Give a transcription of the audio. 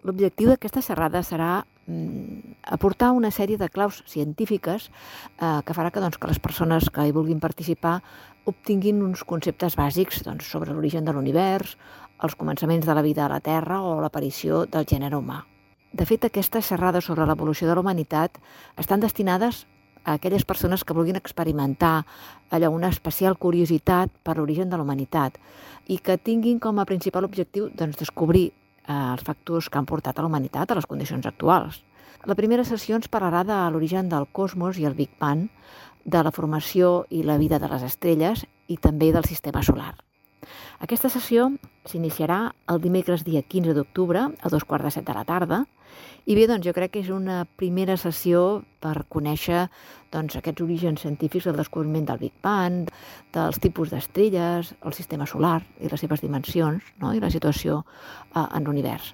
L'objectiu d'aquesta xerrada serà aportar una sèrie de claus científiques que farà que les persones que hi vulguin participar obtinguin uns conceptes bàsics sobre l'origen de l'univers, els començaments de la vida a la Terra o l'aparició del gènere humà. De fet, aquestes xerrades sobre l'evolució de la humanitat estan destinades a aquelles persones que vulguin experimentar una especial curiositat per l'origen de la humanitat i que tinguin com a principal objectiu descobrir els factors que han portat a la humanitat a les condicions actuals. La primera sessió ens parlarà de l'origen del cosmos i el Big Bang, de la formació i la vida de les estrelles i també del sistema solar. Aquesta sessió s'iniciarà el dimecres dia 15 d'octubre a 2:15 de la tarda i bé, jo crec que és una primera sessió per conèixer aquests orígens científics del descobriment del Big Bang, dels tipus d'estrelles, el sistema solar i les seves dimensions, i la situació en l'univers.